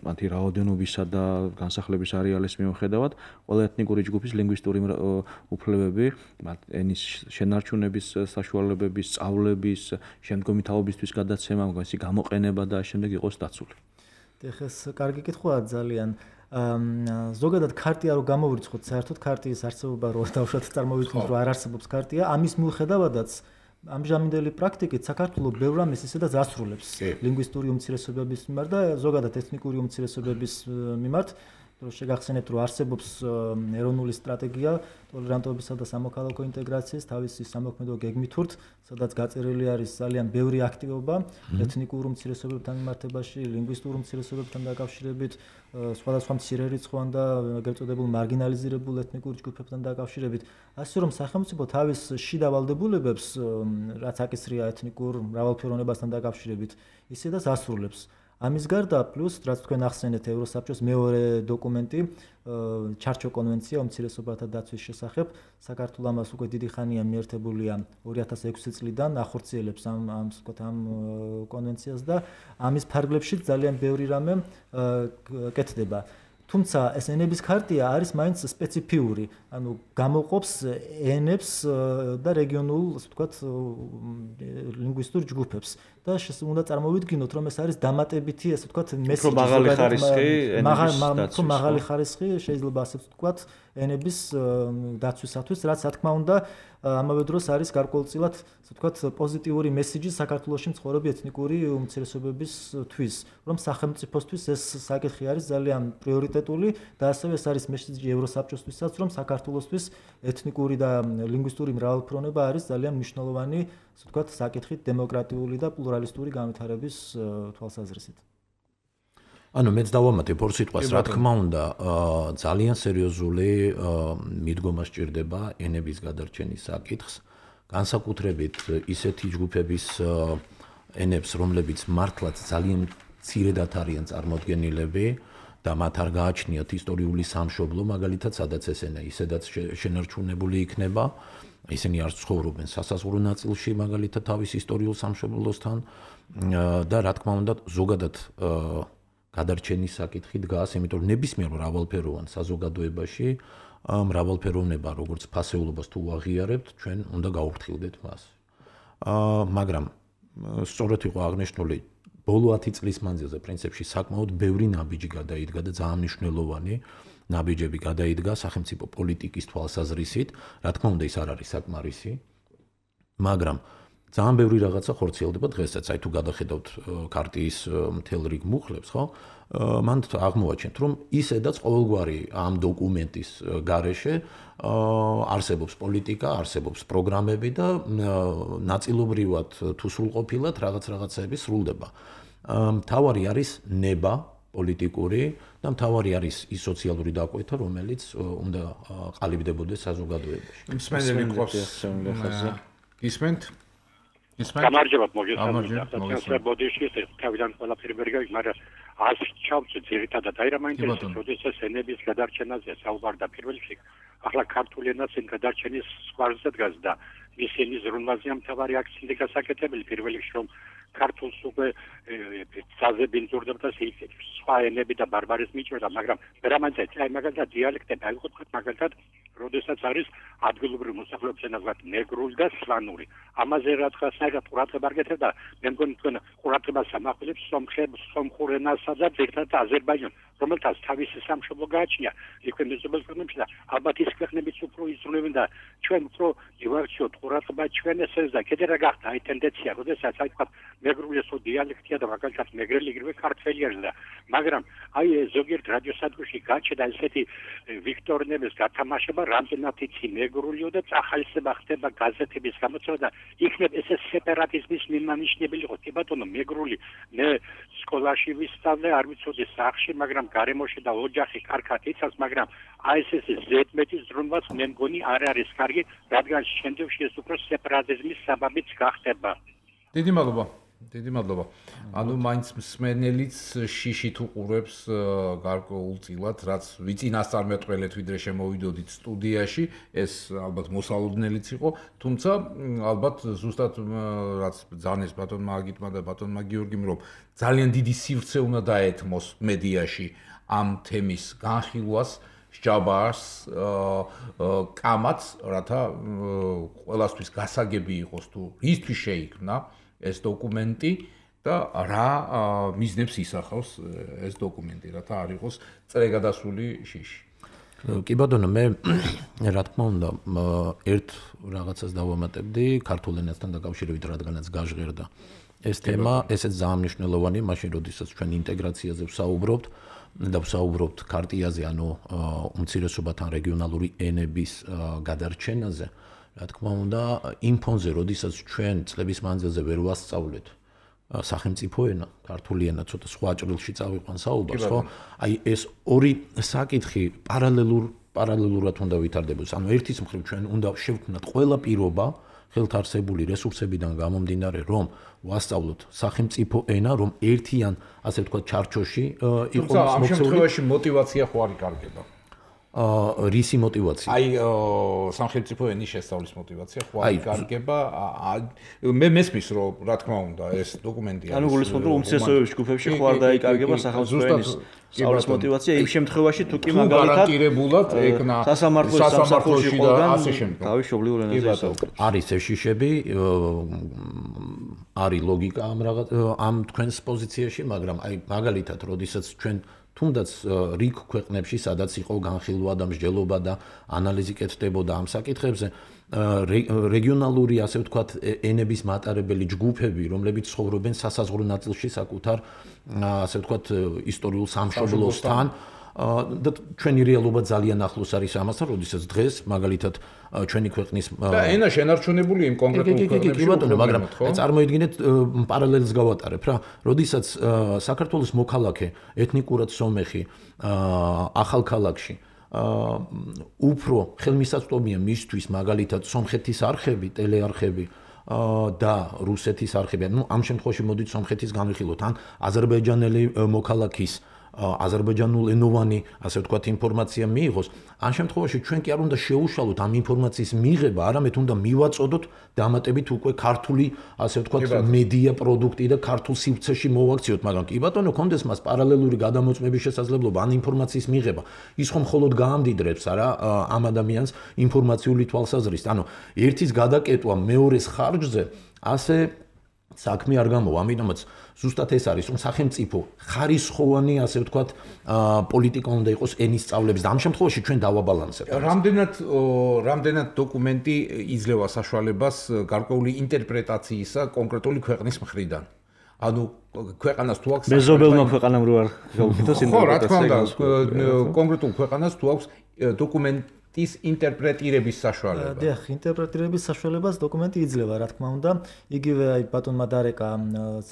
მათი რაოდენობისა და განსახლების არეალის მიუხედავად, ყველა ეთნიკური ჯგუფის ლინგვისტური უფლებები, ენის შენარჩუნების საშუალებების, სწავლების, შემდგომი თაობისთვის გადაცემა, მისი გამოყენება და შემდეგ იყოს დაცული. ეხლა ეს კარგი კითხვაა ძალიან. ზოგადად ქარტია რო გამოვირცხოთ, საერთოდ ქარტიის არსებობა რო დავუშვათ წარმოვიდგინოთ, რომ არ არსებობს ქარტია, ამის მიუხედავადაც ამჟამინდელი პრაქტიკით საქართველოს ბევრ რამეს ისედაც ასრულებს ლინგვისტური უმცირესობების მიმართ და ზოგადად ეთნიკური უმცირესობების მიმართ. შეგახსენებთ, რომ არსებობს ეროვნული სტრატეგია ტოლერანტობისა და სამოქალაქო ინტეგრაციის თავისი სამოქმედო გეგმითურთ, სადაც გაწერილი არის ძალიან ბევრი აქტივობა ეთნიკურ უმცირესობებთან მიმართებაში, ლინგვისტურ უმცირესობებთან დაკავშირებით, სხვადასხვა მცირერიცხოვან და ეგრეთ წოდებულ მარგინალიზირებულ ეთნიკურ ჯგუფებთან დაკავშირებით. ასე რომ სახელმწიფო თავის შიდა ვალდებულებებს, რაც აკისრია ეთნიკურ მრავალფეროვნებასთან დაკავშირებით, ისედაც ასრულებს. ამის გარდა პლუს რაც თქვენ ახსენეთ ევროსაბჭოს მეორე დოკუმენტი ჩარჩო კონვენცია უმცირესობათა დაცვის შესახებ საქართველოს ამას უკვე დიდი ხანია მიერთებულია ორი ათას ექვსი წლიდან ახორციელებს ამ ამ ვთქვათ ამ კონვენციას და ამის ფარგლებში ძალიან ბევრი რამე კეთდება. თუმცა ეს ენების ქარტია არის მაინც სპეციფიური, ანუ გამოყოფს ენებს და რეგიონულ, ასე ვთქვათ, ლინგვისტურ ჯგუფებს და უნდა წარმოვიდგინოთ, რომ ეს არის დამატებითი, ასე ვთქვათ, მესიჯი, მაღალი ხარისხი, ენების მაღალი ხარისხი შეიძლება ასე ვთქვათ, ენების დაცვისათვის, რაც რა თქმა უნდა ამავე დროს არის გარკვეულწილად, ასე ვთქვათ, პოზიტიური მესიჯი საქართველოში მცხოვრები ეთნიკური უმცირესობებისთვის, რომ სახელმწიფოსთვის ეს საკითხი არის ძალიან პრიორიტეტული და ასევე ეს არის მესიჯი ევროსაბჭოსთვისაც, რომ საქართველოსთვის ეთნიკური და ლინგვისტური მრავალფეროვნება არის ძალიან მნიშვნელოვანი, ასე ვთქვათ, საკითხი დემოკრატიული და პლურალისტური განვითარების თვალსაზრისით. ანუ მეც დავამატებ ორ სიტყვას, რა თქმა უნდა, ძალიან სერიოზული მიდგომა სჭირდება ენების გადარჩენის საკითხს, განსაკუთრებით ისეთი ჯგუფების ენებს, რომლებიც მართლაც ძალიან მცირედად არიან წარმოდგენილები და მათ არ გააჩნიათ ისტორიული სამშობლო, მაგალითად, სადაც ეს ენა ისედაც შენარჩუნებული იქნება. ისინი არ ცხოვრობენ სასაზღვრო ნაწილში, მაგალითად, თავის ისტორიულ სამშობლოსთან და რა თქმა უნდა, ზოგადად გადარჩენის საკითხი დგას, იმიტომ რომ ნებისმიერ მრავალფეროვან საზოგადოებაში მრავალფეროვნება, როგორც ფასეულობას თუ აღიარებთ, ჩვენ უნდა გავუფრთხილდეთ მას. მაგრამ სწორედ იყო აღნიშნული ბოლო ათი წლის მანძილზე პრინციპში საკმაოდ ბევრი ნაბიჯი გადაიდგა და ძალიან მნიშვნელოვანი ნაბიჯები გადაიდგა სახელმწიფო პოლიტიკის თვალსაზრისით, რა თქმა უნდა ის არ არის საკმარისი, მაგრამ ძალიან ბევრი რაღაცა ხორციელდება დღესაც, აი თუ გადახედავთ ქარტიის მთელ რიგ მუხლებს, ხო? მან აღმოაჩენთ, რომ ისედაც ყოველგვარი ამ დოკუმენტის გარეშე არსებობს პოლიტიკა, არსებობს პროგრამები და ნაწილობრივად თუ სრულყოფილად რაღაც რაღაცები სრულდება. მთავარი არის ნება პოლიტიკური და მთავარი არის ის სოციალური დაკვეთა, რომელიც უნდა ყალიბდებოდეს საზოგადოებაში. მსმენელი გვყავს ხაზზე. ისმენთ? ისმენთ? გამარჯობათ, მოგესალმებით. ბოდიში თავიდან ყველაფერი ვერ გავიგე, მაგრამ ას ჩავწე ძირითადად აი რა მაინტერესებს, როდესაც ენების გადარჩენაზე საუბარდა პირველ რიგში. ახლა ქართული ენას εν გადარჩენის სკვარზე დგას და მის ენის ზრუნვაზეა მთავარი აქცენტი გასაკეთებელი პირველ რიგში, რომ ქართულს უკვე საზები ინძურდება სხვა ენები და ბარბარიზმი იჭრება, მაგრამ ვერამანცეთ, აი მაგალითად დიალექტები აიყოფათ, მაგალითად, როდესაც არის ადგილობრივი მოსახლეობის ენაზე მეგრული და სლანური. ამაზე რაღაცნაირად ყურადღება არ გეთებდა, მე მგონი თქვენ ყურადღებას ამახვილებს სომხურ ენასა და ძირითადად აზერბაიჯანს, რომელთაც თავისი სამშობლო გააჩნია იქვე მეზობელ ქვეყნებში და ალბათ ის ქვეყნებიც უფრო იზრუნებენ და ჩვენ უფრო ივარჩიოთ ყურადღება ჩვენ ესეზე და კიდე რა გახდა აი ტენდენცია, როდესაც აი თქვა მეგრული ესო დიალექტია და მაგალითად მეგრელი იგივე ქართველი არის და მაგრამ აი ზოგიერთ რადიოსადგურში გაჩნდა ესეთი ვიქტორინების გათამაშება რამდენად იცი მეგრულიო და წახალისება ხდება გაზეთების გამოცემა და იქნებ ესე სეპარატიზმის მიმანიშნებელი იყო. კი ბატონო, მეგრული მე სკოლაში ვისწავლე, არ ვიცოდი სახლში, მაგრამ გარემოში და ოჯახი კარგად იცავს, მაგრამ აი ეს ზედმეტი ზრუნვაც მე მგონი არ არის კარგი, რადგან შემდგომში ეს უფრო სეპარატიზმის საბაბიც გახდება. დიდი მადლობა. დიდი მადლობა. ანუ მაინც მსმენელიც შიშით უყურებს გარკვეულწილად, რაც ვიწინასწარმეტყველეთ ვიდრე შემოვიდოდით სტუდიაში, ეს ალბათ მოსალოდნელიც იყო, თუმცა ალბათ ზუსტად რაც ძანეს ბატონმა აგიტმა და ბატონმა გიორგიმ, რომ ძალიან დიდი სივრცე უნდა დაეთმოს მედიაში ამ თემის განხილვას, სჯაბარს, კამათს, რათა ყველასთვის გასაგები იყოს თუ ისთვის შეიქმნა ეს დოკუმენტი და რა მიზნებს ისახავს ეს დოკუმენტი, რათა არ იყოს წრეგადასული შიში. კი ბატონო, მე რა თქმა უნდა ერთ რაღაცას დავამატებდი ქართულ ენასთან დაკავშირებით, რადგანაც გაჟღერდა ეს თემა, ესეც ძალიან მნიშვნელოვანი, მაშინ როდესაც ჩვენ ინტეგრაციაზე ვსაუბრობთ და ვსაუბრობთ ქარტიაზე, ანუ უმცირესობათა რეგიონალური ენების გადარჩენაზე. რა თქმა უნდა, იმ ფონზე, როდესაც ჩვენ წლების მანძილზე ვერ ვასწავლეთ სახელმწიფო ენა, ქართული ენა ცოტა სხვა ჭრილში წავიყვან საუბარს, ხო? აი ეს ორი საკითხი პარალელურ პარალელურად უნდა ვითარდებოდეს. ანუ ერთის მხრივ ჩვენ უნდა შევქმნათ ყველა პირობა ხელთ არსებული რესურსებიდან გამომდინარე, რომ ვასწავლოთ სახელმწიფო ენა, რომ ერთიან, ასე ვთქვათ, ჩარჩოში იყოს მოქცეული. ამ შემთხვევაში мотиваცია ხო არ იკარგება? აა რისი мотиваცია? აი სახელმწიფო ენის შესწავლის мотиваცია ხო არ იკარგება? მე მესმის რომ რა თქმა უნდა ეს დოკუმენტი არის. ანუ გულისხმობ რომ უმცირესობების ჯგუფებში ხო არ დაიკარგება სახელმწიფო ენის სწავლის мотиваცია იმ შემთხვევაში თუ კი მაგალითად გარანტირებულად ეკნა სასამართლოს სამსახურში და ასე შემდეგ. თავის მშობლიურ ენაზე ისაუბრებს. არის ეს შიშები, არის ლოგიკა ამ რაღაც ამ თქვენს პოზიციაში, მაგრამ აი მაგალითად, როდესაც ჩვენ თუნდაც რიგ ქვეყნებში, სადაც იყო განხილვა და მსჯელობა და ანალიზი კეთდებოდა ამ საკითხებზე, რეგიონალური, ასე ვთქვათ, ენების მატარებელი ჯგუფები, რომლებიც ცხოვრობენ სასაზღვრო ნაწილში საკუთარ, ასე ვთქვათ, ისტორიულ სამშობლოსთან და ჩვენი რეალობა ძალიან ახლოს არის ამასთან, როდესაც დღეს მაგალითად ჩვენი ქვეყნის და ენა შენარჩუნებული იმ კონკრეტულ ქვეყნებში, მაგრამ წარმოიდგინეთ პარალელს გავატარებ რა, როდესაც საქართველოს მოქალაქე ეთნიკურად სომეხი ახალქალაქში უფრო ხელმისაწვდომია მისთვის მაგალითად სომხეთის არხები, ტელეარხები და რუსეთის არხები. ნუ ამ შემთხვევაში მოდით სომხეთის განვიხილოთ, ან აზერბაიჯანელი მოქალაქის აზერბაიჯანულენოვანი, ასე ვთქვათ, ინფორმაცია მიიღოს. ამ შემთხვევაში ჩვენ კი არ უნდა შევუშალოთ ამ ინფორმაციის მიღება, არამედ უნდა მივაწოდოთ დამატებით უკვე ქართული, ასე ვთქვათ, მედია პროდუქტი და ქართულ სივრცეში მოვაქციოთ, მაგრამ კი ბატონო, კონდეს მას პარალელური გადამოწმების შესაძლებლობა, ან ინფორმაციის მიღება. ის ხომ მხოლოდ გაამდიდრებს არა ამ ადამიანს ინფორმაციული თვალსაზრისით. ანუ ერთის გადაკეტვა მეორეს ხარჯზე ასე საქმე არ გამოვა, ამიტომაც ზუსტად ეს არის, რომ სახელმწიფო ხარისხოვანი, ასე ვთქვათ, პოლიტიკა უნდა იყოს ენის სწავლების და ამ შემთხვევაში ჩვენ დავაბალანსებთ. რამდენად რამდენად დოკუმენტი იძლევა საშუალებას გარკვეული ინტერპრეტაციისა კონკრეტული ქვეყნის მხრიდან. ანუ ქვეყანას თუ აქვს მეზობელმა ქვეყანამ რო არ გაუკეთოს ინტერპრეტაცია. ხო, რა თქმა უნდა, კონკრეტულ ქვეყანას თუ აქვს დოკუმენტი ის ინტერპრეტირების საშუალება. დიახ, ინტერპრეტირების საშუალებას დოკუმენტი იძლევა, რა თქმა უნდა. იგივე აი ბატონმა დარეკა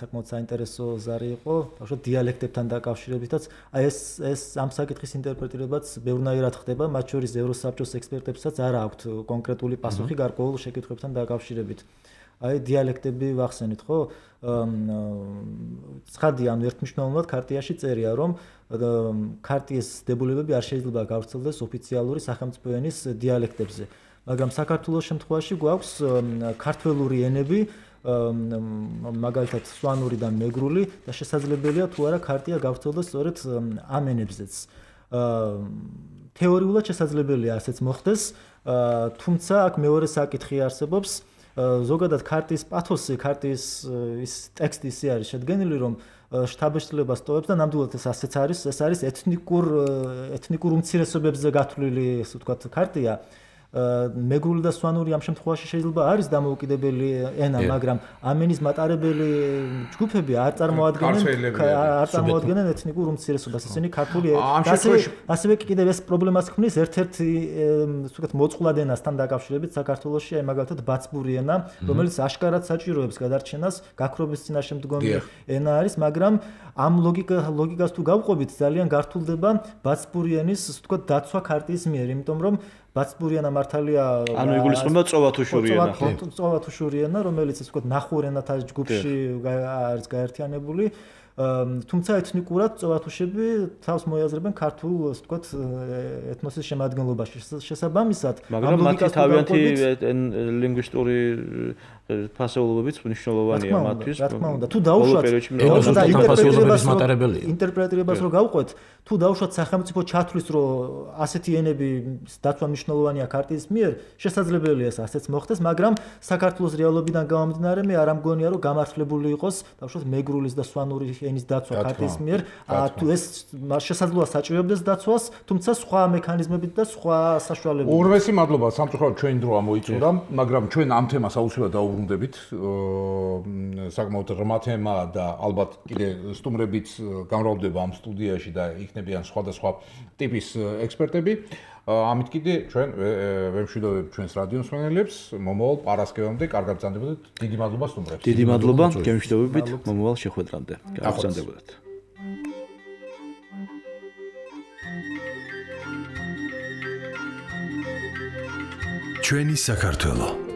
საკმაოდ საინტერესო ზარი იყო, ბავშვად დიალექტებთან დაკავშირებითაც. აი ეს ეს ამ საკითხის ინტერპრეტირებაც ბევრნაირად ხდება, მათ შორის ევროსაბჭოს ექსპერტებსაც არ აქვთ კონკრეტული პასუხი გარკვეულ შეკითხვებთან დაკავშირებით. აი დიალექტები ვახსენით, ხო? ცხადია, ანუ ერთმნიშვნელოვნად ქარტიაში წერია, რომ ქარტიის დებულებები არ შეიძლება გავრცელდეს ოფიციალური სახელმწიფო ენის დიალექტებზე. მაგრამ საქართველოს შემთხვევაში გვაქვს ქართველური ენები, მაგალითად სვანური და მეგრული და შესაძლებელია თუ არა ქარტია გავრცელდეს სწორედ ამ ენებზეც. თეორიულად შესაძლებელია ასეც მოხდეს, თუმცა აქ მეორე საკითხი არსებობს. ზოგადად ქარტიის პათოსი, ქარტიის ის ტექსტი ისე არის შედგენილი, რომ შთაბეჭდილებას ტოვებს და ნამდვილად ეს ასეც არის, ეს არის ეთნიკურ ეთნიკურ უმცირესობებზე გათვლილი, ასე ვთქვათ, ქარტია. მეგრული და სვანური ამ შემთხვევაში შეიძლება არის დამოუკიდებელი ენა, მაგრამ ამ ენის მატარებელი ჯგუფები არ წარმოადგენენ არ წარმოადგენენ ეთნიკურ უმცირესობას, ისინი ქართული ასევე ასევე კიდევ ეს პრობლემას ქმნის ერთ-ერთი ასე ვთქვათ მოწყვლად ენასთან დაკავშირებით საქართველოში, აი მაგალითად ბაცბური ენა, რომელიც აშკარად საჭიროებს გადარჩენას, გაქრობის წინაშემდგომი ენა არის, მაგრამ ამ ლოგიკა ლოგიკას თუ გავყვებით, ძალიან გართულდება ბაცბური ენის ასე ვთქვათ დაცვა ქარტიის მიერ, იმიტომ რომ ბაცბური ენა მართალია ანუ იგულისხმება წოვათუშური ენა, ხო? წოვათუშური ენა, რომელიც ასე ვთქვათ ნახურ ენათა ჯგუფში არის გაერთიანებული, თუმცა ეთნიკურად წოვათუშები თავს მოიაზრებენ ქართულ, ასე ვთქვათ, ეთნოსის შემადგენლობაში. შესაბამისად, მაგრამ მათი თავიანთი ლინგვისტური ფასეულობებიც მნიშვნელოვანია მათთვის. რა თქმა უნდა, თუ დაუშვათ ინტერპრეტირებას მატარებელია. ინტერპრეტირებას რო გავყვეთ, თუ დაუშვათ სახელმწიფო ჩათვლის, რომ ასეთი ენები დაცვა მნიშვნელოვანია ქარტიის მიერ, შესაძლებელია ეს ასეც მოხდეს, მაგრამ საქართველოს რეალობიდან გამომდინარე მე არ ამგონია, რომ გამართლებული იყოს დაუშვათ მეგრულის და სვანური ენის დაცვა ქარტიის მიერ, თუ ეს შესაძლოა საჭიროებდეს დაცვას, თუმცა სხვა მექანიზმებით და სხვა საშუალებებით. ურმესი მადლობა, სამწუხაროდ ჩვენი დრო ამოიწურა, მაგრამ ჩვენ ამ თემას აუცილებლად დაუბრუნდებით. საკმაოდ რმა თემაა და ალბათ კიდე სტუმრებიც გამრავლდება ამ სტუდიაში და იქნებიან სხვადასხვა ტიპის ექსპერტები. ამით კიდე ჩვენ ვემშვიდობებ ჩვენს რადიო მსმენელებს, მომავალ პარასკევამდე კარგად ბრძანდებოდეთ. დიდი მადლობა სტუმრებს. დიდი მადლობა, გემშვიდობებით მომავალ შეხვედრამდე. კარგად ბრძანდებოდეთ. ჩვენი საქართველო